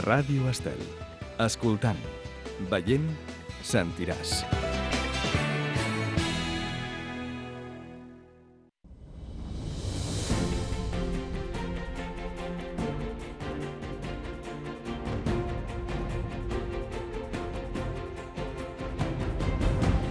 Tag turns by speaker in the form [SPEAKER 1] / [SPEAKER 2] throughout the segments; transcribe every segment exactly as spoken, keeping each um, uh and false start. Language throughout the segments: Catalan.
[SPEAKER 1] Ràdio Estel. Escoltant, veient, sentiràs.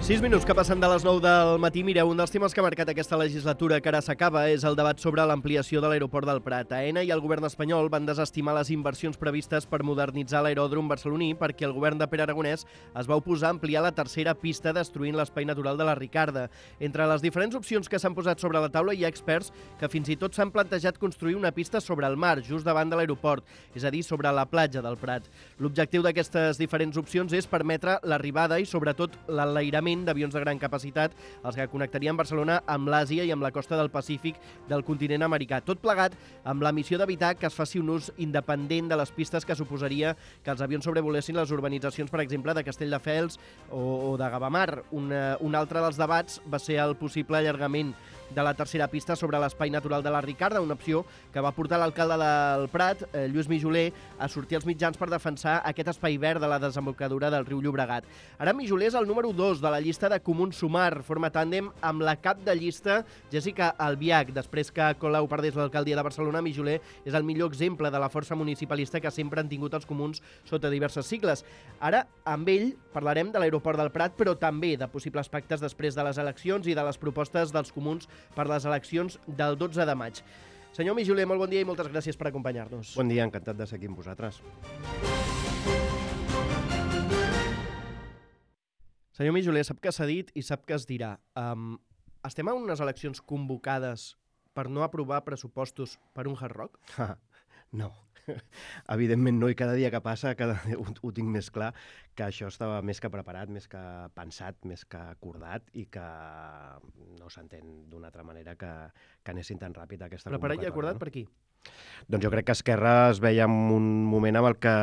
[SPEAKER 2] Sis minuts que passen de les nou del matí. Mireu, un dels temes que ha marcat aquesta legislatura que ara s'acaba és el debat sobre l'ampliació de l'aeroport del Prat. Aena i el govern espanyol van desestimar les inversions previstes per modernitzar l'aeròdrom barceloní perquè el govern de Pere Aragonès es va oposar a ampliar la tercera pista destruint l'espai natural de la Ricarda. Entre les diferents opcions que s'han posat sobre la taula hi ha experts que fins i tot s'han plantejat construir una pista sobre el mar, just davant de l'aeroport, és a dir, sobre la platja del Prat. L'objectiu d'aquestes diferents opcions és permetre l'arribada i sobretot l'enlairament d'avions de gran capacitat, els que connectarien Barcelona amb l'Àsia i amb la costa del Pacífic del continent americà. Tot plegat amb la missió d'evitar que es faci un ús independent de les pistes que suposaria que els avions sobrevolessin les urbanitzacions, per exemple, de Castelldefels o, o de Gavamar. Un, un altre dels debats va ser el possible allargament de la tercera pista sobre l'espai natural de la Ricarda, una opció que va portar l'alcalde del Prat, eh, Lluís Mijoler, a sortir als mitjans per defensar aquest espai verd de la desembocadura del riu Llobregat. Ara Mijoler és el número dos de la llista de Comuns Sumar, forma tàndem amb la cap de llista Jessica Albiach. Després que Colau perdés l'alcaldia de Barcelona, Mijoler és el millor exemple de la força municipalista que sempre han tingut els comuns sota diverses sigles. Ara, amb ell, parlarem de l'aeroport del Prat, però també de possibles pactes després de les eleccions i de les propostes dels comuns per les eleccions del dotze de maig. Senyor Mijoler, molt bon dia i moltes gràcies per acompanyar-nos.
[SPEAKER 3] Bon dia, encantat de ser aquí amb vosaltres.
[SPEAKER 2] Senyor Mijoler, sap què s'ha dit i sap què es dirà. Um, estem en unes eleccions convocades per no aprovar pressupostos per un Hard Rock?
[SPEAKER 3] No, evidentment no, i cada dia que passa cada dia ho, ho tinc més clar, que això estava més que preparat, més que pensat, més que acordat i que no s'entén d'una altra manera que, que anessin tan ràpid aquesta
[SPEAKER 2] Preparat i
[SPEAKER 3] convocatòria.
[SPEAKER 2] acordat
[SPEAKER 3] No?
[SPEAKER 2] per qui?
[SPEAKER 3] Doncs jo crec que Esquerra es veia en un moment amb el que,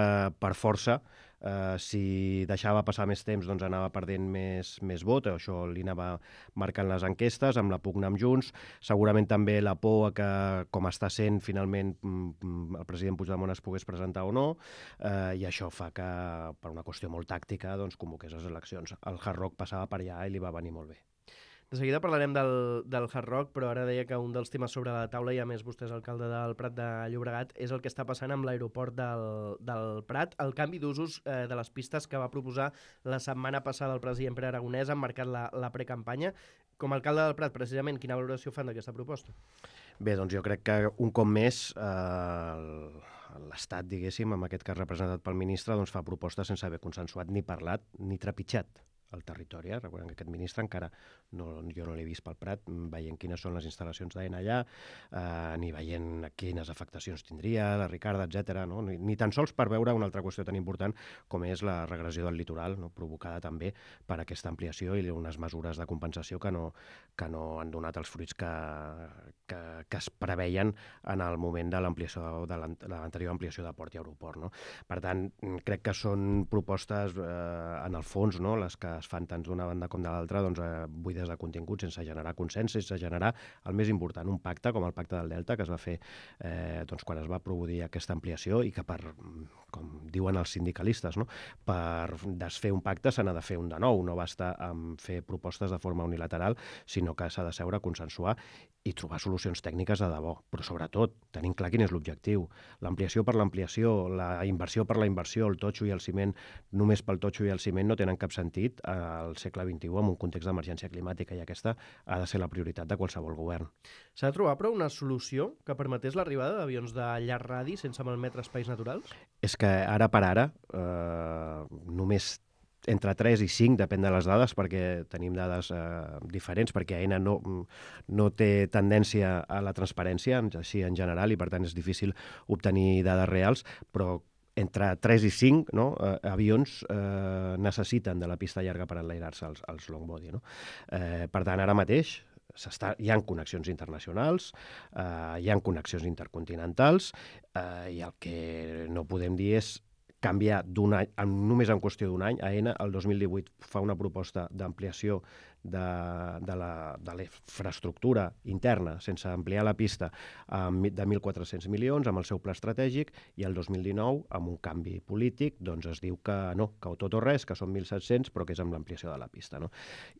[SPEAKER 3] per força, eh, si deixava passar més temps, doncs anava perdent més, més vot. Això li anava marcant les enquestes, amb la pugna amb Junts. Segurament també la por a que, com està sent, finalment el president Puigdemont es pogués presentar o no, eh, i això fa que, per una qüestió molt tàctica, doncs convoqués les eleccions. El Hard Rock passava per allà i li va venir molt bé.
[SPEAKER 2] De seguida parlarem del, del Hard Rock, però ara deia que un dels temes sobre la taula, i a més vostè és alcalde del Prat de Llobregat, és el que està passant amb l'aeroport del, del Prat. El canvi d'usos eh, de les pistes que va proposar la setmana passada el president Pere Aragonès ha marcat la, la precampanya. Com a alcalde del Prat, precisament, quina valoració fan d'aquesta proposta?
[SPEAKER 3] Bé, doncs jo crec que un cop més eh, l'Estat, diguéssim, amb aquest cas representat pel ministre, doncs fa propostes sense haver consensuat ni parlat ni trepitjat el territori. Eh? Recordem que aquest ministre encara no, jo no l'he vist pel Prat, veient quines són les instal·lacions d'Aena allà, eh, ni veient quines afectacions tindria, la Ricarda, etcètera. No? Ni, ni tan sols per veure una altra qüestió tan important com és la regressió del litoral, no? Provocada també per aquesta ampliació i unes mesures de compensació que no, que no han donat els fruits que, que, que es preveien en el moment de l'ampliació de l'anterior ampliació de port i aeroport. No? Per tant, crec que són propostes eh, en el fons, no? Les que es fan tant d'una banda com de l'altra, doncs, eh, buides de contingut, sense generar consens, sense generar el més important, un pacte com el pacte del Delta, que es va fer eh, doncs, quan es va produir aquesta ampliació i que, per, com diuen els sindicalistes, no? Per desfer un pacte se n'ha de fer un de nou, no basta amb fer propostes de forma unilateral, sinó que s'ha de seure a consensuar i trobar solucions tècniques de debò, però sobretot tenim clar quin és l'objectiu. L'ampliació per l'ampliació, la inversió per la inversió, el totxo i el ciment, només pel totxo i el ciment no tenen cap sentit al segle vint-i-u en un context d'emergència climàtica, i aquesta ha de ser la prioritat de qualsevol govern.
[SPEAKER 2] S'ha de trobar, però, una solució que permetés l'arribada d'avions de llarg radi sense malmetre espais naturals?
[SPEAKER 3] És que ara per ara eh, només entre tres i cinc, depèn de les dades, perquè tenim dades eh, diferents, perquè Aena no, no té tendència a la transparència, així en general, i per tant és difícil obtenir dades reals, però entre tres i cinc no, eh, avions eh, necessiten de la pista llarga per enlairar-se als, als long body. No? Eh, per tant, ara mateix hi ha connexions internacionals, eh, hi ha connexions intercontinentals, eh, i el que no podem dir és canviar d'un any, només en qüestió d'un any. Aena el dos mil divuit fa una proposta d'ampliació de, de la- de la infraestructura interna, sense ampliar la pista, amb mi- de mil quatre-cents milions, amb el seu pla estratègic, i el dos mil dinou, amb un canvi polític, doncs es diu que no, que o tot o res, que són mil set-cents, però que és amb l'ampliació de la pista. No?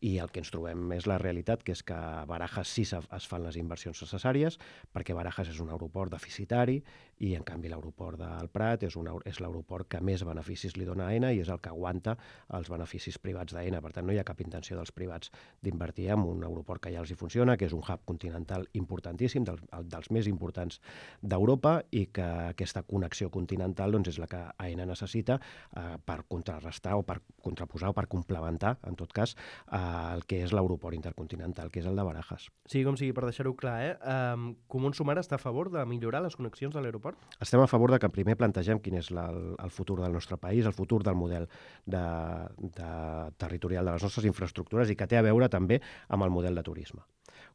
[SPEAKER 3] I el que ens trobem és la realitat, que és que a Barajas sí se- es fan les inversions necessàries, perquè Barajas és un aeroport deficitari, i en canvi l'aeroport del Prat és, un, aer- és l'aeroport que més beneficis li dona a Aena i és el que aguanta els beneficis privats d'Aena. Per tant, no hi ha cap intenció dels privats d'invertir en un aeroport que ja els hi funciona, que és un hub continental importantíssim, dels, dels més importants d'Europa, i que aquesta connexió continental doncs, és la que Aena necessita eh, per contrarrestar o per contraposar o per complementar, en tot cas, eh, el que és l'aeroport intercontinental, que és el de Barajas.
[SPEAKER 2] Sí, com sigui, per deixar-ho clar, eh? Um, Comuns Sumar està a favor de millorar les connexions de l'aeroport?
[SPEAKER 3] Estem a favor de que primer plantegem quin és la, el, el futur del nostre país, el futur del model de, de territorial de les nostres infraestructures, i que té a veure també amb el model de turisme.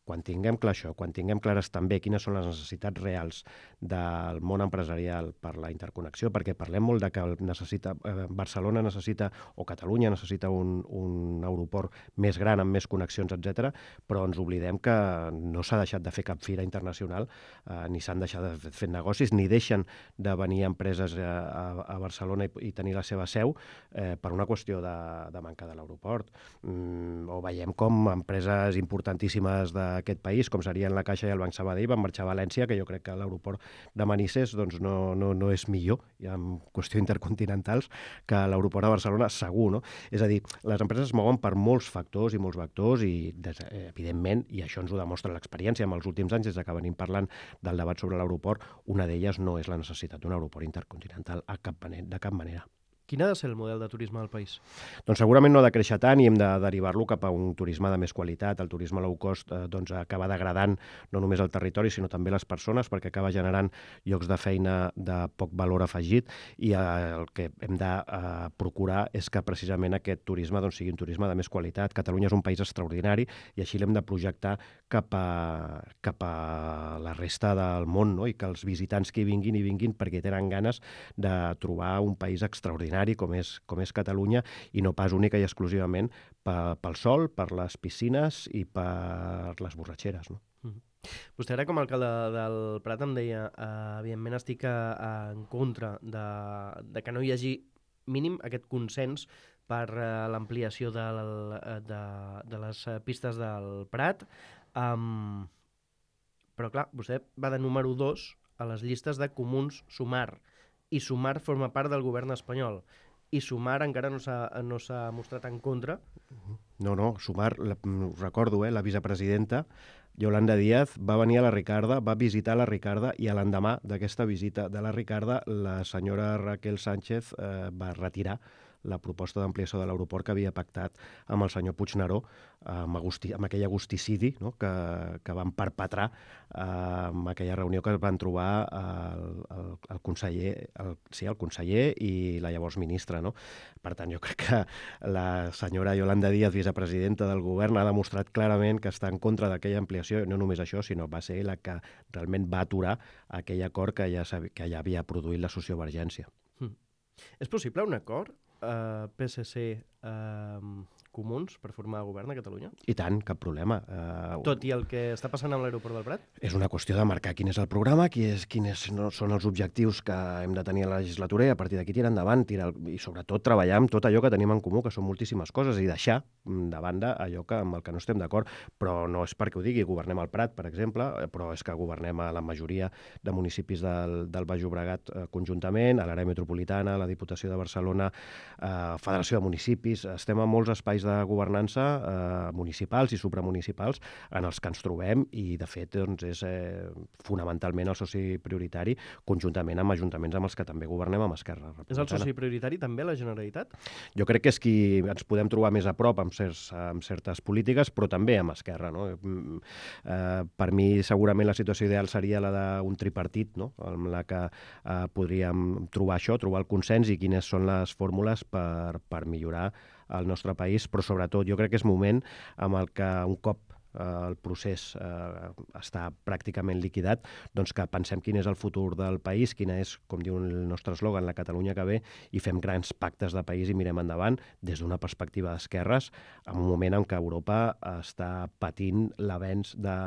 [SPEAKER 3] Quan tinguem clar això, quan tinguem clares també quines són les necessitats reals del món empresarial per la interconnexió, perquè parlem molt de que necessita, eh, Barcelona necessita, o Catalunya necessita un, un aeroport més gran, amb més connexions, etcètera, però ens oblidem que no s'ha deixat de fer cap fira internacional, eh, ni s'han deixat de fer negocis, ni deixen de venir empreses a, a, a Barcelona i, i tenir la seva seu eh, per una qüestió de, de manca de l'aeroport. Mm, o veiem com empreses importantíssimes d'aquest país, com serien la Caixa i el Banc Sabadell, van marxar a València, que jo crec que l'aeroport de Manises doncs, no, no, no és millor, i en qüestió intercontinentals, que l'aeroport de Barcelona segur, no? És a dir, les empreses es mouen per molts factors i molts vectors, i des, eh, evidentment, i això ens ho demostra l'experiència en els últims anys, des que venim parlant del debat sobre l'aeroport, una d'elles no és la necessitat d'un aeroport intercontinental a cap manera, de cap manera.
[SPEAKER 2] Quin ha de ser el model de turisme del país?
[SPEAKER 3] Doncs segurament no ha de créixer tant, i hem de derivar-lo cap a un turisme de més qualitat. El turisme low cost eh, doncs, acaba degradant no només el territori, sinó també les persones, perquè acaba generant llocs de feina de poc valor afegit, i eh, el que hem de eh, procurar és que precisament aquest turisme doncs, sigui un turisme de més qualitat. Catalunya és un país extraordinari, i així l'hem de projectar cap a, cap a la resta del món, no? I que els visitants que hi vinguin, hi vinguin perquè tenen ganes de trobar un país extraordinari com és, com és Catalunya, i no pas única i exclusivament pel sol, per les piscines i per les borratxeres. No?
[SPEAKER 2] Mm. Vostè ara, com a alcalde del Prat, em deia eh, evidentment estic a, a, en contra de, de que no hi hagi mínim aquest consens per eh, l'ampliació de, de, de les pistes del Prat. Um, però clar, vostè va de número dos a les llistes de Comuns Sumar, i Sumar forma part del govern espanyol, i Sumar encara no s'ha no s'ha mostrat en contra.
[SPEAKER 3] No, no, Sumar, la, us recordo, eh, la vicepresidenta Yolanda Díaz va venir a la Ricarda, va visitar la Ricarda, i a l'endemà d'aquesta visita de la Ricarda, la senyora Raquel Sánchez eh, va retirar la proposta d'ampliació de l'aeroport que havia pactat amb el senyor Puigneró, amb, agusti, amb aquell agusticidi, no? que, que van perpetrar eh, amb aquella reunió que es van trobar el, el, el conseller, el, sí, el conseller i la llavors ministra. No? Per tant, jo crec que la senyora Yolanda Díaz, vicepresidenta del govern, ha demostrat clarament que està en contra d'aquella ampliació, i no només això, sinó va ser la que realment va aturar aquell acord que ja, que ja havia produït la sociovergència.
[SPEAKER 2] Mm. És possible un acord Uh, P S C uh, Comuns per formar govern a Catalunya?
[SPEAKER 3] I tant, cap problema. Uh,
[SPEAKER 2] Tot i el que està passant amb l'aeroport del Prat?
[SPEAKER 3] És una qüestió de marcar quin és el programa, qui és, quins no, són els objectius que hem de tenir a la legislatura, i a partir d'aquí tirar endavant, tirar, i sobretot treballar amb tot allò que tenim en comú, que són moltíssimes coses, i deixar de banda allò que, amb el que no estem d'acord. Però no és perquè ho digui, governem el Prat, per exemple, però és que governem a la majoria de municipis del, del Baix Llobregat eh, conjuntament, a l'àrea metropolitana, a la Diputació de Barcelona, eh, Federació de Municipis. Estem a molts espais de governança eh, municipals i supramunicipals en els que ens trobem, i de fet doncs, és eh, fonamentalment el soci prioritari, conjuntament amb ajuntaments amb els que també governem amb Esquerra Republicana.
[SPEAKER 2] És el soci prioritari també la Generalitat?
[SPEAKER 3] Jo crec que és qui ens podem trobar més a prop amb, certs, amb certes polítiques, però també amb Esquerra. No? Eh, per mi segurament la situació ideal seria la d'un tripartit, no? amb la que eh, podríem trobar això, trobar el consens i quines són les fórmules per, per millorar el nostre país, però sobretot jo crec que és moment amb el que un cop el procés eh, està pràcticament liquidat, doncs que pensem quin és el futur del país, quina és, com diu el nostre eslògan, la Catalunya que ve, i fem grans pactes de país i mirem endavant des d'una perspectiva d'esquerres, en un moment en què Europa està patint l'avenç de,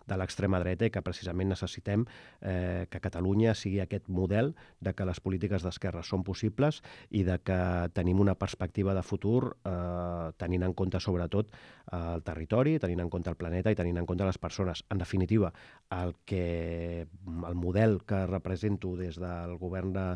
[SPEAKER 3] de l'extrema dreta i que precisament necessitem eh, que Catalunya sigui aquest model de que les polítiques d'esquerra són possibles i de que tenim una perspectiva de futur eh, tenint en compte sobretot eh, el territori, tenint en compte el planeta i tenint en compte les persones. En definitiva, el, que, el model que represento des del govern de,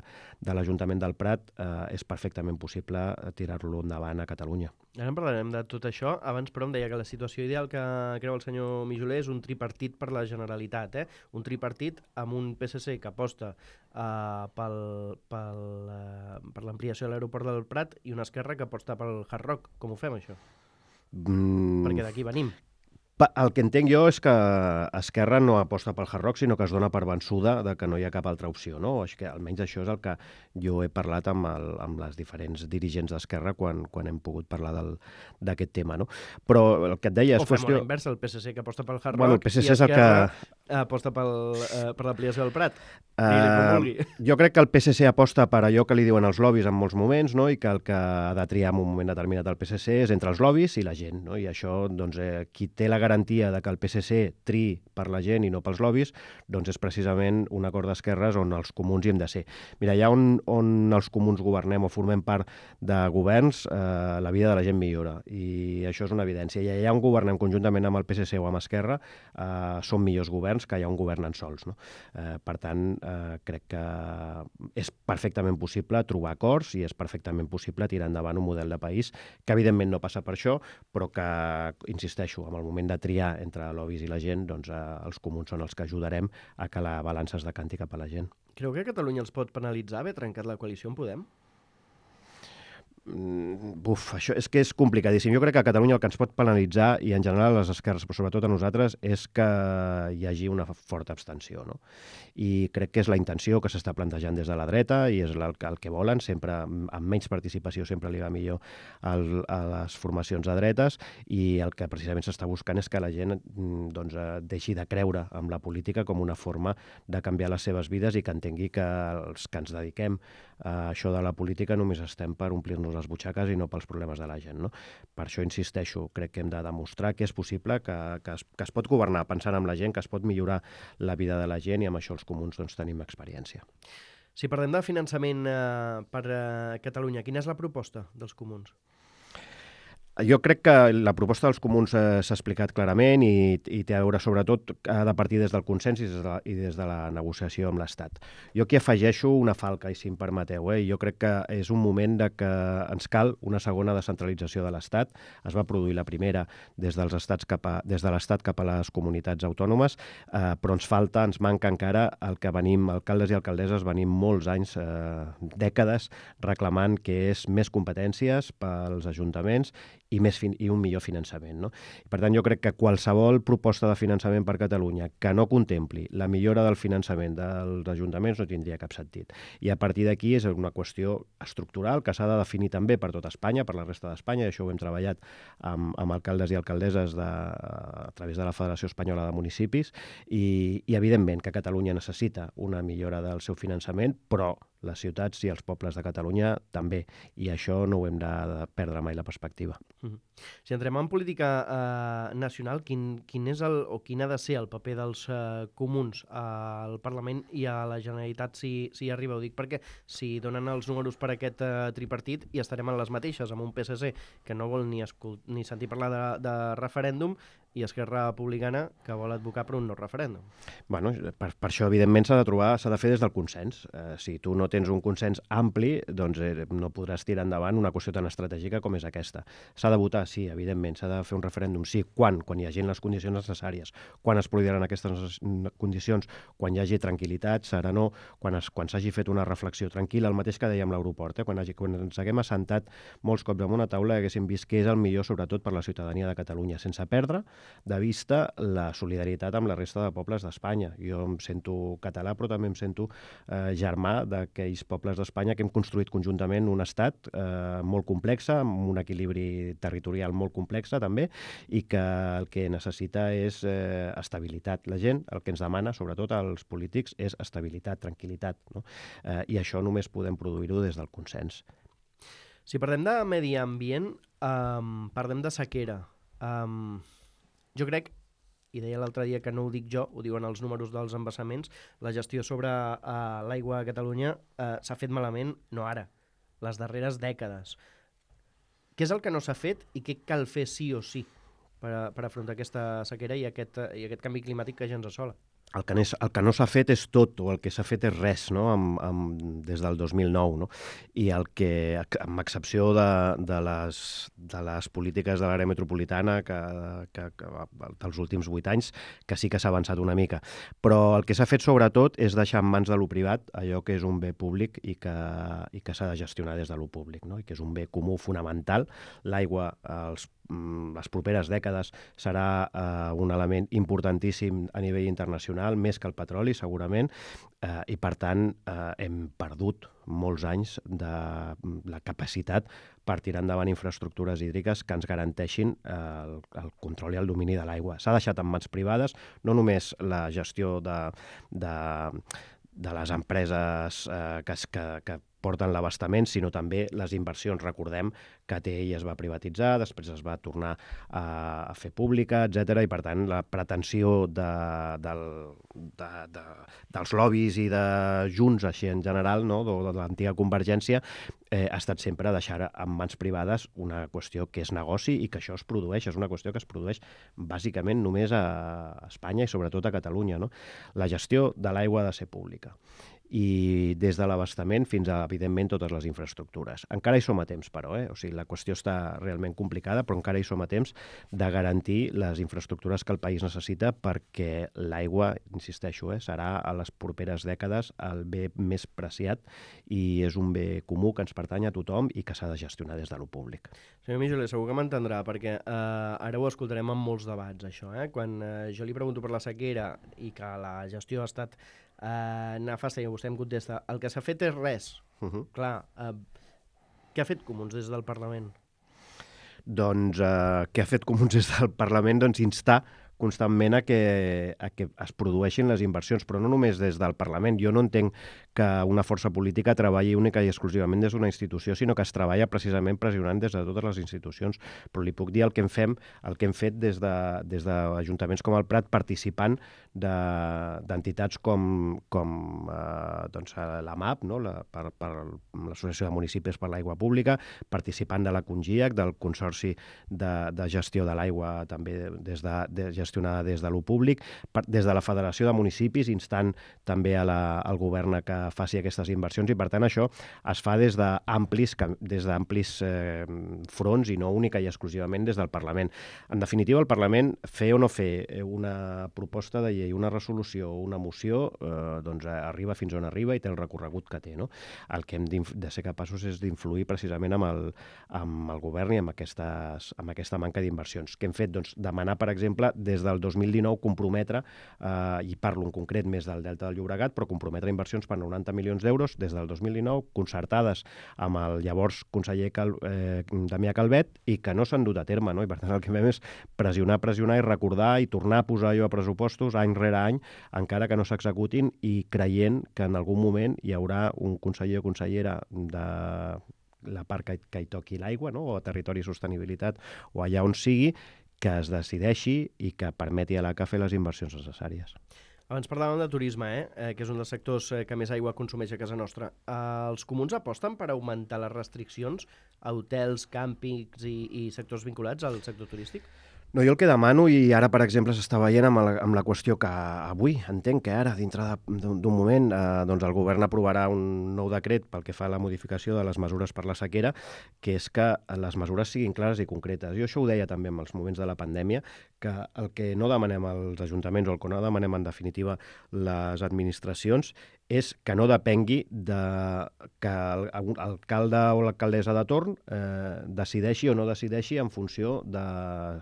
[SPEAKER 3] de l'Ajuntament del Prat eh, és perfectament possible tirar-lo endavant a Catalunya.
[SPEAKER 2] Ara en parlarem de tot això. Abans, però, em deia que la situació ideal que creu el senyor Mijoler és un tripartit per la Generalitat, eh? Un tripartit amb un P S C que aposta uh, pel, pel, uh, per l'ampliació de l'aeroport del Prat i una Esquerra que aposta pel Hard Rock. Com ho fem, això?
[SPEAKER 3] Mm.
[SPEAKER 2] Perquè d'aquí venim.
[SPEAKER 3] El que entenc jo és que Esquerra no aposta pel Hard Rock, sinó que es dona per vençuda de que no hi ha cap altra opció, no? És que almenys això és el que jo he parlat amb, el, amb les diferents dirigents d'Esquerra quan, quan hem pogut parlar d'aquest tema, no? Però el que et deia és
[SPEAKER 2] o fem
[SPEAKER 3] qüestió...
[SPEAKER 2] a l'inversa, el P S C que aposta pel Hard Rock
[SPEAKER 3] bueno, el P S C
[SPEAKER 2] i
[SPEAKER 3] és el
[SPEAKER 2] Esquerra
[SPEAKER 3] que...
[SPEAKER 2] aposta pel, uh, per l'ampliació del Prat.
[SPEAKER 3] Uh, jo crec que el P S C aposta per allò que li diuen els lobbies en molts moments, no? I que el que ha de triar en un moment determinat el P S C és entre els lobbies i la gent, no? I això, doncs, eh, qui té la garantia de que el P S C triï per la gent i no pels lobbies, doncs és precisament un acord d'esquerres on els comuns hi hem de ser. Mira, allà on, on els comuns governem o formem part de governs, eh, la vida de la gent millora, i això és una evidència. I allà on governem conjuntament amb el P S C o amb Esquerra, eh, són millors governs que allà on governen sols, no? Eh, per tant, eh, crec que és perfectament possible trobar acords i és perfectament possible tirar endavant un model de país que evidentment no passa per això, però que, insisteixo, en el moment de triar entre lobbies i la gent, doncs eh, els comuns són els que ajudarem a que la balança es decanti cap a la gent.
[SPEAKER 2] Creu que Catalunya els pot penalitzar haver trencat la coalició en Podem?
[SPEAKER 3] Buf, això és que és complicadíssim. Jo crec que a Catalunya el que ens pot penalitzar, i en general a les esquerres, però sobretot a nosaltres, és que hi hagi una forta abstenció, no? I crec que és la intenció que s'està plantejant des de la dreta i és el, el que volen, sempre amb menys participació sempre li va millor al, a les formacions de dretes, i el que precisament s'està buscant és que la gent doncs, deixi de creure en la política com una forma de canviar les seves vides i que entengui que els que ens dediquem a això de la política només estem per omplir-nos les butxaques i no pels problemes de la gent, no? Per això insisteixo, crec que hem de demostrar que és possible, que, que, es, que es pot governar pensant en la gent, que es pot millorar la vida de la gent, i amb això els comuns doncs, tenim experiència.
[SPEAKER 2] Si parlem de finançament eh, per a Catalunya, quina és la proposta dels comuns?
[SPEAKER 3] Jo crec que la proposta dels comuns eh, s'ha explicat clarament i, i té a veure sobretot ha de partir des del consens i des de la, i des de la negociació amb l'Estat. Jo aquí afegeixo una falca, i si em permeteu, eh? Jo crec que és un moment de que ens cal una segona descentralització de l'Estat. Es va produir la primera des dels estats cap a, des de l'Estat cap a les comunitats autònomes, eh, però ens falta, ens manca encara el que venim, alcaldes i alcaldesses, venim molts anys, eh, dècades, reclamant que és més competències pels ajuntaments i, més fin i un millor finançament, no? Per tant, jo crec que qualsevol proposta de finançament per Catalunya que no contempli la millora del finançament dels ajuntaments no tindria cap sentit. I a partir d'aquí és una qüestió estructural que s'ha de definir també per tot Espanya, per la resta d'Espanya, i això ho hem treballat amb, amb alcaldes i alcaldesses de, a través de la Federació Espanyola de Municipis, i, i evidentment que Catalunya necessita una millora del seu finançament, però les ciutats i els pobles de Catalunya també, i això no ho hem de, de perdre mai la perspectiva.
[SPEAKER 2] Mm-hmm. Si entrem en política eh, nacional, quin, quin és el, o quin ha de ser el paper dels eh, comuns al Parlament i a la Generalitat si, si hi arriba? Ho dic perquè si donen els números per aquest eh, tripartit i estarem en les mateixes, amb un P S C que no vol ni, ni sentir parlar de, de referèndum, i Esquerra Republicana que vol advocar per un no referèndum.
[SPEAKER 3] Bueno, per, per això, evidentment, s'ha de trobar, s'ha de fer des del consens. Eh, si tu no tens un consens ampli, doncs eh, no podràs tirar endavant una qüestió tan estratègica com és aquesta. S'ha de votar, sí, evidentment, s'ha de fer un referèndum, sí. Quan? Quan hi hagi les condicions necessàries. Quan es produiran aquestes condicions? Quan hi hagi tranquil·litat, serenor, quan es, quan s'hagi fet una reflexió tranquil·la, el mateix que dèiem a l'aeroport, eh? quan, hagi, quan ens haguem assentat molts cops en una taula i haguéssim vist què és el millor, sobretot per la ciutadania de Catalunya, sense perdre de vista la solidaritat amb la resta de pobles d'Espanya. Jo em sento català, però també em sento eh, germà d'aquells pobles d'Espanya que hem construït conjuntament un estat eh, molt complex, amb un equilibri territorial molt complex també, i que el que necessita és eh, estabilitat. La gent el que ens demana, sobretot als polítics, és estabilitat, tranquil·litat, no? Eh, I això només podem produir-ho des del consens.
[SPEAKER 2] Si parlem de medi ambient, um, parlem de sequera. Um, jo crec, i deia l'altre dia que no ho dic jo, ho diuen els números dels embassaments, la gestió sobre uh, l'aigua a Catalunya uh, s'ha fet malament, no ara, les darreres dècades. Què és el que no s'ha fet i què cal fer sí o sí per, a, per afrontar aquesta sequera i aquest, i aquest canvi climàtic que ja ens assola?
[SPEAKER 3] El que, és, el que no s'ha fet és tot, o el que s'ha fet és res, no? amb, amb, des del dos mil nou. No? I el que, amb excepció de, de, les, de les polítiques de l'àrea metropolitana que, que, que dels últims vuit anys, que sí que s'ha avançat una mica. Però el que s'ha fet sobretot és deixar en mans de lo privat allò que és un bé públic i que, i que s'ha de gestionar des de lo públic, no? I que és un bé comú fonamental. L'aigua, els les properes dècades serà eh, un element importantíssim a nivell internacional, més que el petroli, segurament, eh, i per tant eh, hem perdut molts anys de la capacitat per tirar endavant infraestructures hídriques que ens garanteixin eh, el, el control i el domini de l'aigua. S'ha deixat en mans privades, no només la gestió de, de, de les empreses eh, que, que, que porten l'abastament, sinó també les inversions. Recordem que A T I es va privatitzar, després es va tornar a, a fer pública, etcètera, i per tant la pretensió de, del, de, de, dels lobbies i de Junts, així en general, no? de, de l'antiga Convergència, eh, ha estat sempre deixar en mans privades una qüestió que és negoci i que això es produeix, és una qüestió que es produeix bàsicament només a Espanya i sobretot a Catalunya, no? La gestió de l'aigua ha de ser pública. I des de l'abastament fins a, evidentment, totes les infraestructures. Encara hi som a temps, però, eh? O sigui, la qüestió està realment complicada, però encara hi som a temps de garantir les infraestructures que el país necessita perquè l'aigua, insisteixo, eh, serà a les properes dècades el bé més preciat i és un bé comú que ens pertany a tothom i que s'ha de gestionar des de lo públic.
[SPEAKER 2] Senyor Mijoler, segur que m'entendrà, perquè eh, ara ho escoltarem en molts debats, això. Eh? Quan eh, jo li pregunto per la sequera i que la gestió ha estat Uh, nefasta i vostè em contesta el que s'ha fet és res. Uh-huh. Clar, uh, què ha fet Comuns des del Parlament?
[SPEAKER 3] Doncs uh, què ha fet Comuns des del Parlament? Doncs instar constantment a que, a que es produeixin les inversions, però no només des del Parlament. Jo no entenc que una força política treballi única i exclusivament des d'una institució, sinó que es treballa precisament pressionant des de totes les institucions. Però li puc dir el que hem, fem, el que hem fet des de, des d'ajuntaments com el Prat, participant d'entitats de, com, com eh, doncs, la M A P, no? la, per, per l'Associació de Municipis per l'Aigua Pública, participant de la CONGIAC, del Consorci de, de Gestió de l'Aigua, també des de, de gestionada des de lo públic, per, des de la Federació de Municipis, instant també a la, al govern que faci aquestes inversions, i per tant això es fa des d'amplis des d'amplis eh, fronts i no única i exclusivament des del Parlament. En definitiva, el Parlament, fer o no fer una proposta de llei, una resolució o una moció, eh, doncs arriba fins on arriba i té el recorregut que té, no? El que hem de ser capaços és d'influir precisament amb el, amb el govern i amb, aquestes, amb aquesta manca d'inversions. Què hem fet? Doncs demanar, per exemple, des del dos mil dinou comprometre, eh, i parlo en concret més del Delta del Llobregat, però comprometre inversions per noranta milions d'euros des del dos mil dinou, concertades amb el llavors conseller Cal, eh, Damià Calvet, i que no s'han dut a terme, no? I per tant el que fem és pressionar, pressionar i recordar i tornar a posar allò a pressupostos any rere any, encara que no s'executin, i creient que en algun moment hi haurà un conseller o consellera de la part que, que hi toqui l'aigua, no? O a Territori i Sostenibilitat, o allà on sigui, que es decideixi i que permeti a l'A C A fer les inversions necessàries.
[SPEAKER 2] Abans parlàvem de turisme, eh? Eh, que és un dels sectors eh, que més aigua consumeix a casa nostra. Eh, els comuns aposten per augmentar les restriccions a hotels, càmpings i, i sectors vinculats al sector turístic?
[SPEAKER 3] No, jo el que demano, i ara, per exemple, s'està veient amb la, amb la qüestió que avui, entenc que ara, dintre d'un moment, eh, doncs el govern aprovarà un nou decret pel que fa a la modificació de les mesures per la sequera, que és que les mesures siguin clares i concretes. Jo això ho deia també en els moments de la pandèmia, que el que no demanem als ajuntaments o el que no demanem en definitiva les administracions és que no depengui de que l'alcalde o l'alcaldessa de torn eh, decideixi o no decideixi en funció de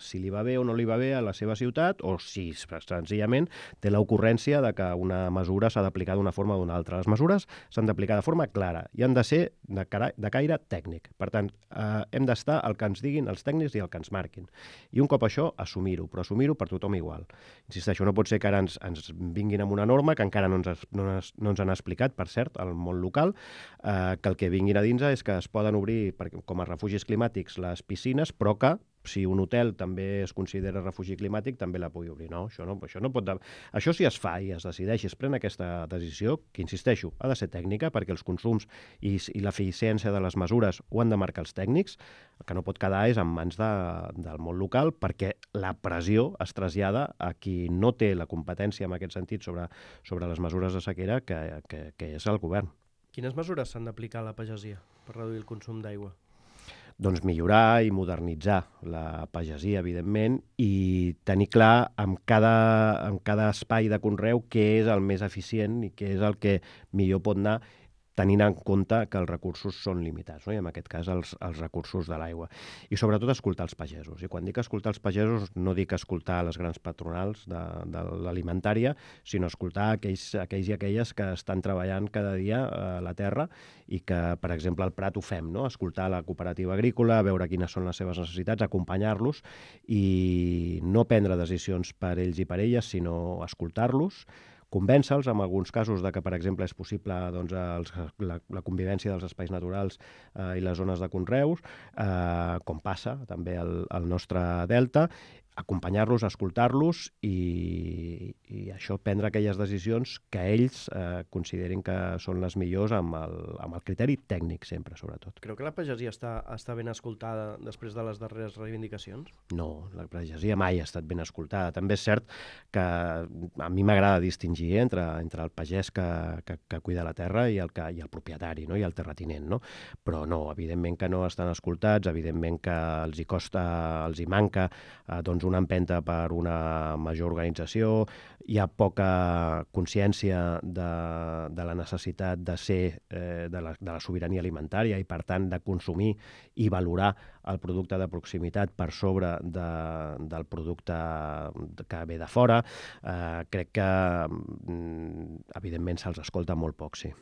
[SPEAKER 3] si li va bé o no li va bé a la seva ciutat o si senzillament té l'ocurrència de que una mesura s'ha d'aplicar d'una forma o d'una altra. Les mesures s'han d'aplicar de forma clara i han de ser de, cara, de caire tècnic. Per tant, eh, hem d'estar al que ens diguin els tècnics i el que ens marquin. I un cop això, assumir-ho, però assumir-ho per tothom igual. Insisteixo, no pot ser que ara ens, ens vinguin amb una norma que encara no ens, no, no ens han explicat, per cert, al món local, eh, que el que vinguin a dins és que es poden obrir per, com a refugis climàtics les piscines, però que si un hotel també es considera refugi climàtic, també la pugui obrir. No, això no, això no pot... De... Això si es fa i es decideix i es pren aquesta decisió, que insisteixo, ha de ser tècnica perquè els consums i, i l'eficiència de les mesures ho han de marcar els tècnics, el que no pot quedar és en mans de, del món local perquè la pressió es trasllada a qui no té la competència en aquest sentit sobre, sobre les mesures de sequera, que, que, que és el govern.
[SPEAKER 2] Quines mesures s'han d'aplicar a la pagesia per reduir el consum d'aigua?
[SPEAKER 3] Doncs millorar i modernitzar la pagesia, evidentment, i tenir clar en cada, en cada espai de conreu què és el més eficient i què és el que millor pot anar tenint en compte que els recursos són limitats, no? I en aquest cas els, els recursos de l'aigua. I sobretot escoltar els pagesos. I quan dic escoltar els pagesos no dic escoltar les grans patronals de, de l'alimentària, sinó escoltar aquells, aquells i aquelles que estan treballant cada dia a la terra i que, per exemple, al Prat ho fem, no? Escoltar la cooperativa agrícola, veure quines són les seves necessitats, acompanyar-los i no prendre decisions per ells i per elles, sinó escoltar-los, convèncer-los, en alguns casos, de que, per exemple, és possible doncs, els, la, la convivència dels espais naturals eh, i les zones de conreus, eh, com passa també al, al nostre delta, acompanyar-los, escoltar-los i, i això prendre aquelles decisions que ells eh, considerin que són les millors amb el, amb el criteri tècnic sempre, sobretot.
[SPEAKER 2] Creu que la pagesia està, està ben escoltada després de les darreres reivindicacions?
[SPEAKER 3] No, la pagesia mai ha estat ben escoltada. També és cert que a mi m'agrada distingir entre, entre el pagès que, que, que cuida la terra i el, que, i el propietari, no? I el terratinent, no? Però no, evidentment que no estan escoltats, evidentment que els hi costa, els hi manca eh, doncs una empenta per una major organització, hi ha poca consciència de, de la necessitat de ser eh, de, la, de la sobirania alimentària i, per tant, de consumir i valorar el producte de proximitat per sobre de, del producte que ve de fora. Eh, crec que, evidentment, se'ls escolta molt poc, sí.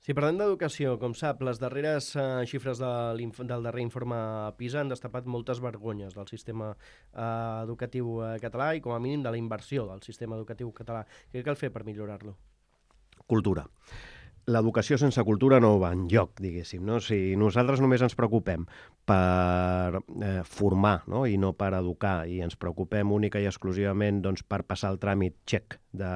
[SPEAKER 2] Si parlem d'educació, com sap, les darreres eh, xifres de del darrer informe PISA han destapat moltes vergonyes del sistema eh, educatiu eh, català i, com a mínim, de la inversió del sistema educatiu català. Què cal fer per millorar-lo?
[SPEAKER 3] Cultura. L'educació sense cultura no va enlloc, diguéssim, no? Si nosaltres només ens preocupem per eh, formar, no? I no per educar, i ens preocupem única i exclusivament doncs, per passar el tràmit xec de,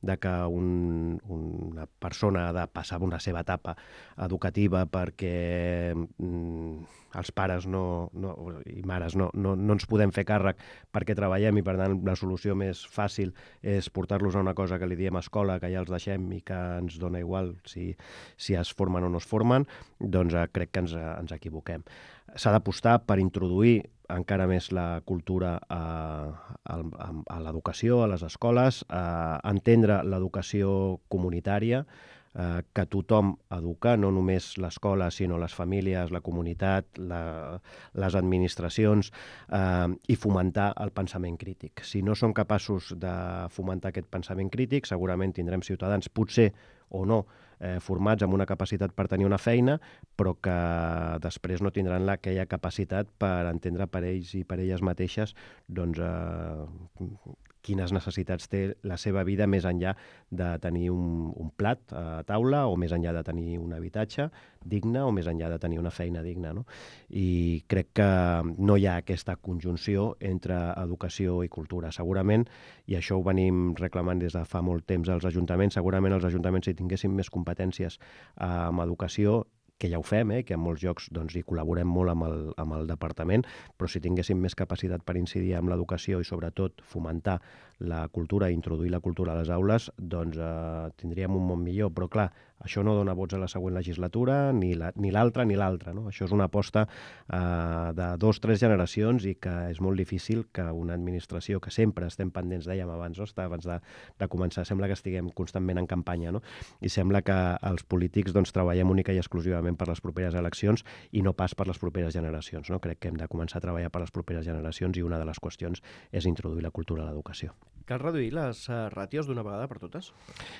[SPEAKER 3] de que un, una persona ha de passar una seva etapa educativa perquè mm, els pares no, no, i mares no, no, no ens podem fer càrrec perquè treballem i, per tant, la solució més fàcil és portar-los a una cosa que li diem escola, que ja els deixem i que ens dona igual si, si es formen o no es formen, doncs eh, crec que ens, ens equivoquem. S'ha d'apostar per introduir encara més la cultura a, a, a l'educació, a les escoles, a entendre l'educació comunitària, eh, que tothom educa, no només l'escola, sinó les famílies, la comunitat, la, les administracions, eh, i fomentar el pensament crític. Si no som capaços de fomentar aquest pensament crític, segurament tindrem ciutadans, potser o no, eh, formats amb una capacitat per tenir una feina, però que després no tindran aquella capacitat per entendre per ells i per elles mateixes doncs, eh, quines necessitats té la seva vida més enllà de tenir un, un plat a taula o més enllà de tenir un habitatge digne o més enllà de tenir una feina digna, no? I crec que no hi ha aquesta conjunció entre educació i cultura. Segurament, i això ho venim reclamant des de fa molt temps als ajuntaments, segurament els ajuntaments, si tinguessin més competències amb educació, que ja ho fem, eh, que en molts llocs doncs, hi col·laborem molt amb el, amb el departament, però si tinguéssim més capacitat per incidir en l'educació i sobretot fomentar la cultura i introduir la cultura a les aules, doncs eh, tindríem un món millor. Però clar, això no dona vots a la següent legislatura, ni la, ni l'altra ni l'altra, no? Això és una aposta eh, de dos, tres generacions i que és molt difícil que una administració que sempre estem pendents, dèiem abans, no? abans de, de començar, sembla que estiguem constantment en campanya, no? I sembla que els polítics doncs, treballem única i exclusivament per les properes eleccions i no pas per les properes generacions, no? Crec que hem de començar a treballar per les properes generacions i una de les qüestions és introduir la cultura a l'educació.
[SPEAKER 2] Cal reduir les uh, ràtios d'una vegada per totes?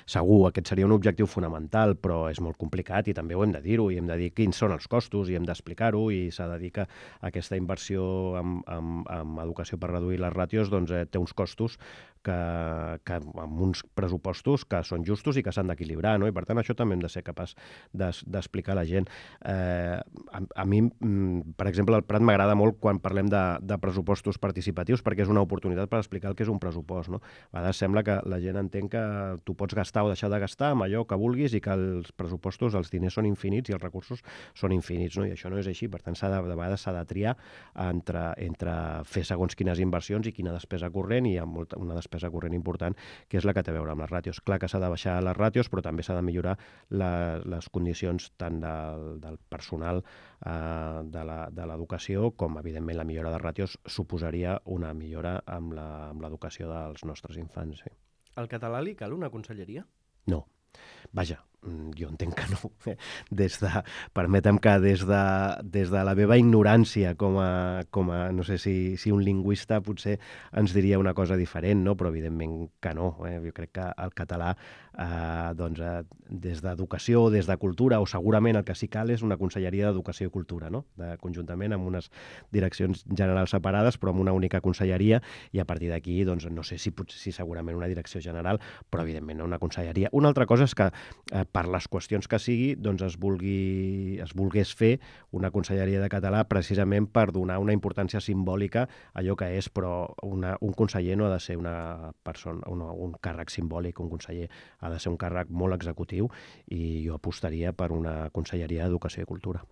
[SPEAKER 3] Segur, aquest seria un objectiu fonamental, però és molt complicat i també ho hem de dir-ho, i hem de dir quins són els costos, i hem d'explicar-ho, i s'ha de dir que aquesta inversió en, en, en educació per reduir les ràtios doncs, eh, té uns costos que, que amb uns pressupostos que són justos i que s'han d'equilibrar, no? I per tant això també hem de ser capaç d'explicar a la gent. Eh, a, a mi, per exemple, al Prat m'agrada molt quan parlem de, de pressupostos participatius perquè és una oportunitat per explicar el que és un pressupost, no? A vegades sembla que la gent entén que tu pots gastar o deixar de gastar amb allò que vulguis i que els pressupostos, els diners són infinits i els recursos són infinits, no? I això no és així. Per tant, de, de vegades s'ha de triar entre, entre fer segons quines inversions i quina despesa corrent, i hi ha molta, una despesa corrent important, que és la que té a veure amb les ràtios. Clar que s'ha de baixar les ràtios, però també s'ha de millorar la, les condicions tant del, del personal eh, de l'educació com, evidentment, la millora de ràtios suposaria una millora amb l'educació dels nostres infants. Sí.
[SPEAKER 2] Al català li cal una conselleria?
[SPEAKER 3] No. Vaja, jo entenc que no. Des de, permetem que des de, des de la meva ignorància com a, com a no sé si, si un lingüista potser ens diria una cosa diferent, no? Però evidentment que no. Eh? Jo crec que el català, eh, doncs, eh, des d'educació o des de cultura, o segurament el que sí cal és una conselleria d'educació i cultura, no? De, conjuntament amb unes direccions generals separades, però amb una única conselleria, i a partir d'aquí, doncs, no sé si, potser, si segurament una direcció general, però evidentment no una conselleria. Una altra cosa és que eh, per les qüestions que sigui, doncs es, vulgui, es volgués fer una conselleria de català precisament per donar una importància simbòlica a allò que és, però una, un conseller no ha de ser una persona, una, un càrrec simbòlic, un conseller ha de ser un càrrec molt executiu, i jo apostaria per una conselleria d'Educació i Cultura.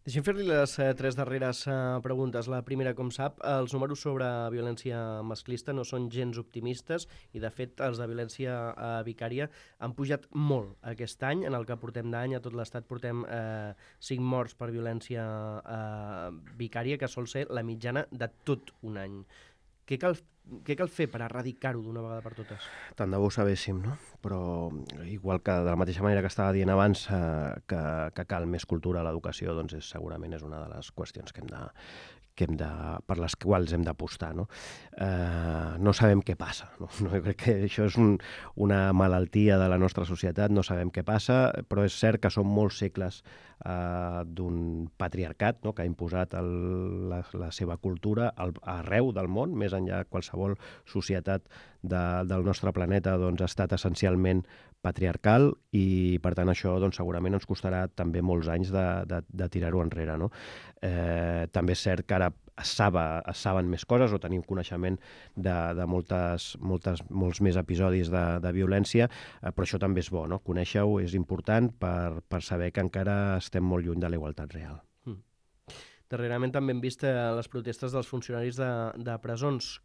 [SPEAKER 2] Deixem fer-li les eh, tres darreres eh, preguntes. La primera, com sap, els números sobre violència masclista no són gens optimistes i, de fet, els de violència eh, vicària han pujat molt aquest any. En el que portem d'any a tot l'estat portem eh, cinc morts per violència eh, vicària, que sol ser la mitjana de tot un any. Què cal, què cal fer per erradicar-ho d'una vegada per totes?
[SPEAKER 3] Tant de bo ho sabéssim, no? Però igual que de la mateixa manera que estava dient abans eh, que, que cal més cultura a l'educació, doncs és, segurament és una de les qüestions que hem de, que hem de, per les quals hem d'apostar, no? Eh, no sabem què passa, no? No, jo crec que això és un, una malaltia de la nostra societat, no sabem què passa, però és cert que són molts segles eh, d'un patriarcat, no? Que ha imposat el, la, la seva cultura al, arreu del món, més enllà de qualsevol societat de, del nostre planeta, doncs, ha estat essencialment patriarcal, i per tant això doncs, segurament ens costarà també molts anys de, de, de tirar-ho enrere, no? Eh, també és cert que ara es, saba, es saben més coses o tenim coneixement de, de moltes, moltes, molts més episodis de, de violència, eh, però això també és bo, no? Conèixer-ho és important per, per saber que encara estem molt lluny de la igualtat real.
[SPEAKER 2] Mm. Darrerament també hem vist les protestes dels funcionaris de, de presons.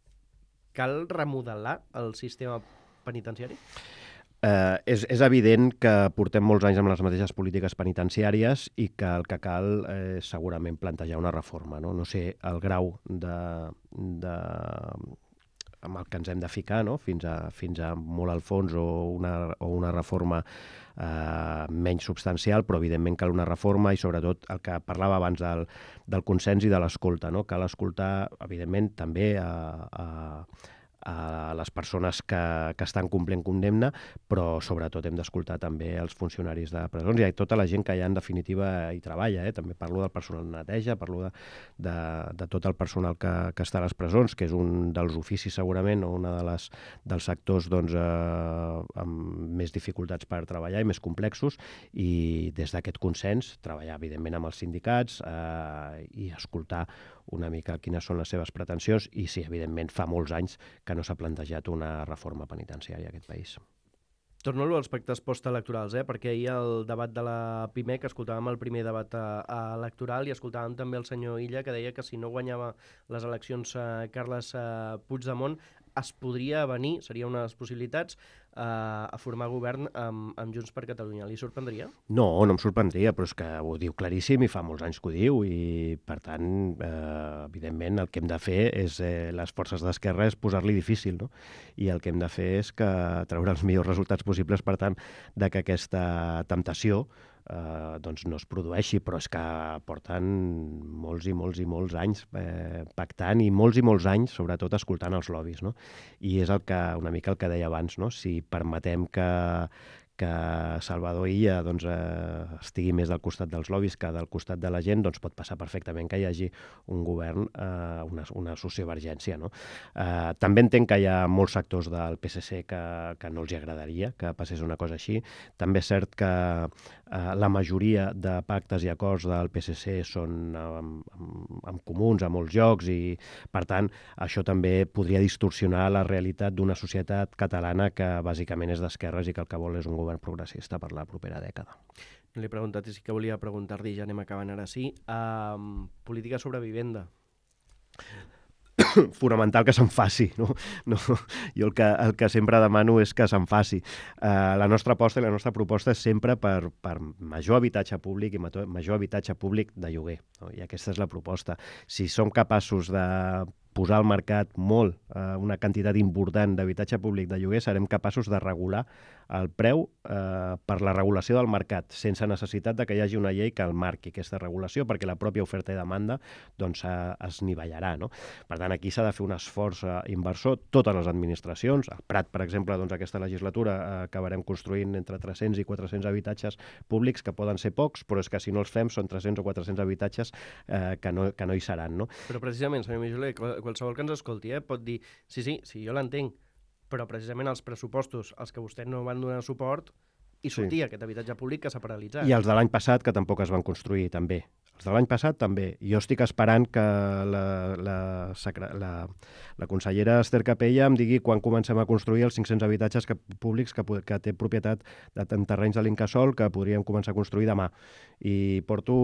[SPEAKER 2] Cal remodelar el sistema penitenciari?
[SPEAKER 3] Eh, és, és evident que portem molts anys amb les mateixes polítiques penitenciàries i que el que cal és eh, segurament plantejar una reforma, no? No sé el grau de, de, amb el que ens hem de ficar, no? fins, a, fins a molt al fons, o una, o una reforma eh, menys substancial, però evidentment cal una reforma, i sobretot el que parlava abans del, del consens i de l'escolta, no? Cal escoltar, evidentment, també a, a a les persones que, que estan complint condemna, però sobretot hem d'escoltar també els funcionaris de presons i tota la gent que ja en definitiva hi treballa. Eh? També parlo del personal de neteja, parlo de, de, de tot el personal que, que està a les presons, que és un dels oficis segurament, o un de les, dels sectors doncs, eh, amb més dificultats per treballar i més complexos, i des d'aquest consens treballar evidentment amb els sindicats eh, i escoltar una mica quines són les seves pretensions, i sí, evidentment fa molts anys que no s'ha plantejat una reforma penitenciària a aquest país.
[SPEAKER 2] Torno a aspectes postelectorals, eh? perquè ahir el debat de la PIMEC escoltàvem el primer debat eh, electoral i escoltàvem també el senyor Illa que deia que si no guanyava les eleccions eh, Carles eh, Puigdemont es podria venir, seria una de les possibilitats, eh, a formar govern amb, amb Junts per Catalunya. Li sorprendria?
[SPEAKER 3] No, no em sorprendria, però és que ho diu claríssim i fa molts anys que ho diu i, per tant, eh, evidentment, el que hem de fer és, eh, les forces d'esquerra és posar-li difícil, no? I el que hem de fer és que treure els millors resultats possibles, per tant, de que aquesta temptació eh, doncs no es produeixi, però és que porten molts i molts i molts anys eh, pactant i molts i molts anys, sobretot, escoltant els lobbies, no? I és el que, una mica el que deia abans, no? Si permetem que, que Salvador Illa doncs, eh, estigui més del costat dels lobbies que del costat de la gent, doncs pot passar perfectament que hi hagi un govern, eh, una, una sociovergència, no? Eh, també entenc que hi ha molts sectors del P S C que, que no els hi agradaria que passés una cosa així. També és cert que eh, la majoria de pactes i acords del P S C són amb, amb, amb comuns a molts llocs i, per tant, això també podria distorsionar la realitat d'una societat catalana que bàsicament és d'esquerres i que el que vol és un govern govern progressista per la propera dècada.
[SPEAKER 2] No li he preguntat i sí que volia preguntar-li, ja anem acabant ara sí, um, política sobre vivenda.
[SPEAKER 3] Fonamental que se'n faci, no? No, jo el que, el que sempre demano és que se'n faci. Uh, la nostra aposta i la nostra proposta és sempre per, per major habitatge públic i major habitatge públic de lloguer, no? I aquesta és la proposta. Si som capaços de posar al mercat molt, eh, una quantitat important d'habitatge públic de lloguer, serem capaços de regular el preu eh, per la regulació del mercat, sense necessitat de que hi hagi una llei que el marqui aquesta regulació, perquè la pròpia oferta i demanda doncs, eh, es nivellarà, no? Per tant, aquí s'ha de fer un esforç eh, inversor, totes les administracions. Al Prat, per exemple, doncs, aquesta legislatura eh, acabarem construint entre tres-cents i quatre-cents habitatges públics, que poden ser pocs, però és que si no els fem són tres-cents o quatre-cents habitatges eh, que, no, que no hi seran, no?
[SPEAKER 2] Però precisament, senyor Mijoler, qualsevol que ens escolti eh, pot dir, sí, sí, sí, jo l'entenc, però precisament els pressupostos als que vostès no van donar suport i sortia sí. Aquest habitatge públic que s'ha paralitzat.
[SPEAKER 3] I els de l'any passat, que tampoc es van construir, també. Els de l'any passat, també. Jo estic esperant que la, la, la, la consellera Esther Capella em digui quan comencem a construir els cinc-cents habitatges que, públics que, que té propietat de, en terrenys de l'Incasòl que podríem començar a construir demà. I porto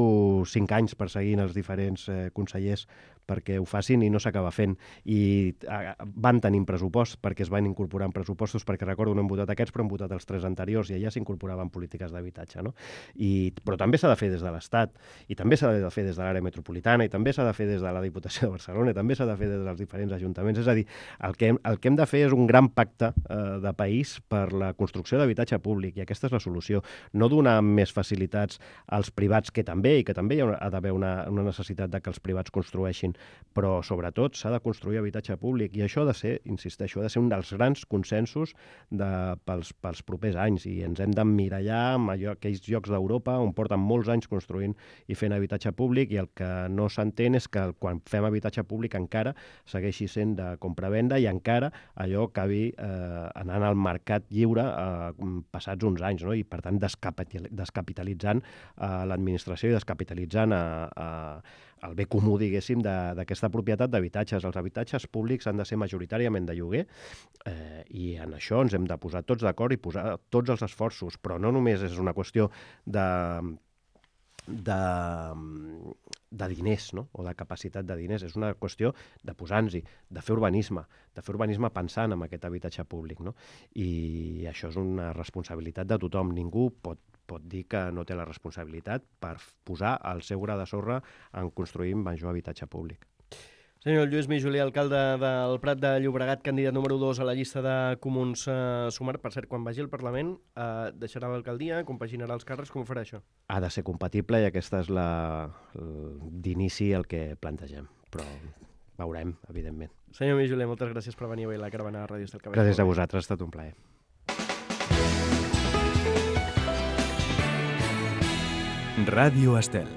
[SPEAKER 3] cinc anys perseguint els diferents eh, consellers perquè ho facin i no s'acaba fent. I eh, van tenint pressupost perquè es van incorporar en pressupostos, perquè recordo no hem votat aquests, però hem votat els tres anteriors i allà s'incorporaven polítiques d'habitatge, no? I, però també s'ha de fer des de l'Estat, i també s'ha de fer des de l'àrea metropolitana, i també s'ha de fer des de la Diputació de Barcelona, i també s'ha de fer des dels diferents ajuntaments. És a dir, el que hem, el que hem de fer és un gran pacte eh, de país per la construcció d'habitatge públic, i aquesta és la solució. No donar més facilitats als privats, que també, i que també hi ha d'haver una, una necessitat de que els privats construeixin, però sobretot s'ha de construir habitatge públic, i això ha de ser, insisteixo, ha de ser un dels grans consensos de, pels, pels propers anys, i ens hem d'emmirallar en allò, aquells llocs d'Europa on porten molts anys construint i fent habitatge públic, i el que no s'entén és que quan fem habitatge públic encara segueixi sent de compra-venda i encara allò acabi eh, anant al mercat lliure eh, passats uns anys, no? I per tant descapitalitzant eh, l'administració i descapitalitzant a, a el bé comú, diguéssim, d'aquesta propietat d'habitatges. Els habitatges públics han de ser majoritàriament de lloguer eh, i en això ens hem de posar tots d'acord i posar tots els esforços, però no només és una qüestió de, de, de diners, no? O de capacitat de diners, és una qüestió de posar-nos-hi, de fer urbanisme, de fer urbanisme pensant en aquest habitatge públic, no? I això és una responsabilitat de tothom. Ningú pot pot dir que no té la responsabilitat per posar el seu gra de sorra en construir major habitatge públic.
[SPEAKER 2] Senyor Lluís Mijoler, alcalde del Prat de Llobregat, candidat número dos a la llista de Comuns eh, Sumar. Per cert, quan vagi al Parlament, eh, deixarà l'alcaldia, compaginarà els càrrecs, com ho farà això?
[SPEAKER 3] Ha de ser compatible i aquesta és la, d'inici el que plantegem, però veurem, evidentment.
[SPEAKER 2] Senyor Mijoler, moltes gràcies per venir avui a la caravana de Ràdio Estel.
[SPEAKER 3] Gràcies a vosaltres, ha estat un plaer.
[SPEAKER 1] Ràdio Estel.